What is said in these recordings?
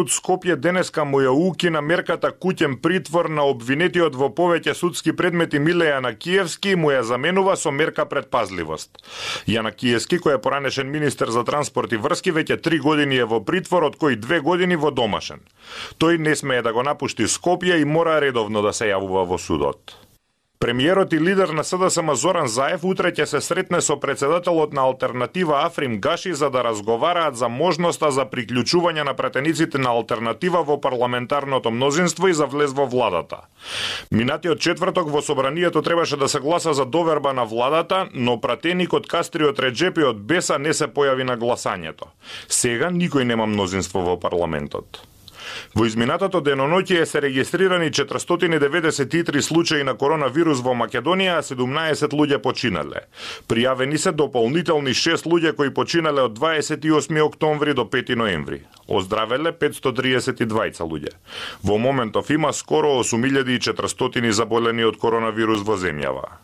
Скопје денеска му ја укина мерката куќен притвор на обвинетиот во повеќе судски предмети Миле Јанакиевски, му ја заменува со мерка предпазливост. Јанакиевски, кој е поранешен министер за транспорт и врски, веќе 3 години е во притвор, од кои 2 години во домашен. Тој не смее да го напушти Скопје и мора редовно да се јавува во судот. Премиерот и лидер на СДСМ Зоран Заев утре ќе се сретне со председателот на Алтернатива Африм Гаши за да разговараат за можноста за приклучување на пратениците на Алтернатива во парламентарното мнозинство и за влез во владата. Минатиот четврток во собранието требаше да се гласа за доверба на владата, но пратеникот Кастриот Реджепи од Беса не се појави на гласањето. Сега никој нема мнозинство во парламентот. Во изминатото деноноќе се регистрирани 493 случаи на коронавирус во Македонија, а 17 луѓе починале. Пријавени се дополнителни 6 луѓе кои починале од 28 октомври до 5 ноември. Оздравеле 532 луѓе. Во моментов има скоро 8400 заболени од коронавирус во земјава.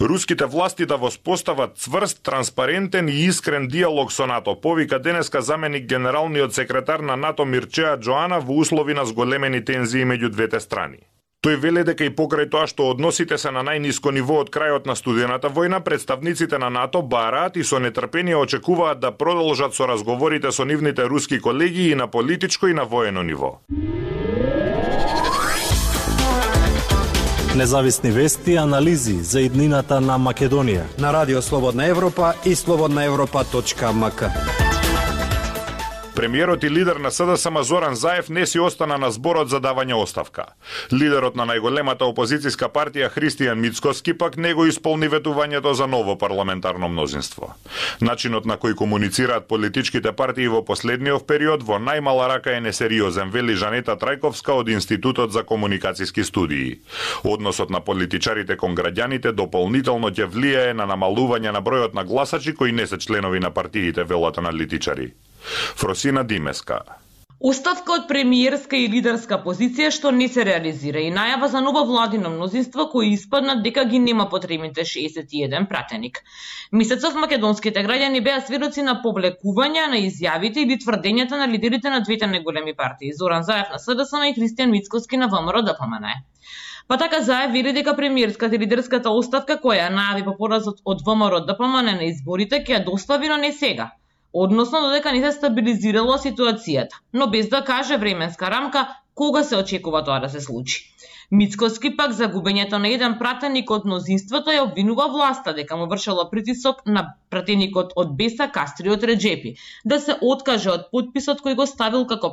Руските власти да воспостават цврст, транспарентен и искрен диалог со НАТО, повика денеска заменик генералниот секретар на НАТО Мирчеа Джоана во услови на зголемени тензии меѓу двете страни. Тој веле дека и покрај тоа што односите се на најниско ниво од крајот на студената војна, представниците на НАТО бараат и со нетрпение очекуваат да продолжат со разговорите со нивните руски колеги и на политичко и на воено ниво. Независни вести и анализи за иднината на Македонија на Радио Слободна Европа и slobodnaevropa.mk. Премиерот и лидер на СДСМ Зоран Заев не си остана на зборот за давање оставка. Лидерот на најголемата опозицијска партија Христијан Мицкоски пак не го исполни ветувањето за ново парламентарно мнозинство. Начинот на кој комуницираат политичките партии во последниот период во најмала рака е несериозен, вели Жанета Трајковска од Институтот за комуникацијски студии. Односот на политичарите кон граѓаните дополнително ќе влијае на намалување на бројот на гласачи кои не се членови на партиите, велат аналитичари. Фросина Димеска. Оставка од премиерска и лидерска позиција што не се реализира и најава за ново владино мнозинство кои испаднат дека ги нема потребните 61 пратеник. Месецов македонските граѓани беа сведоци на повлекување на изјавите или тврдењата на лидерите на двете најголеми партии, Зоран Заев на СДСМ и Христијан Мицкоски на ВМРО-ДПМН. Па така Заев вели дека премиерската и лидерската оставка која најави по поразот од ВМРО-ДПМН на изборите ќе ја достави, но не сега. Односно додека не се стабилизирала ситуацијата, но без да каже временска рамка кога се очекува тоа да се случи. Мицкоски пак за губењето на еден пратеник од мнозинството ја обвинува власта дека му вршела притисок на пратеникот од Беса Кастриот Реджепи да се откаже од потписот кој го ставил како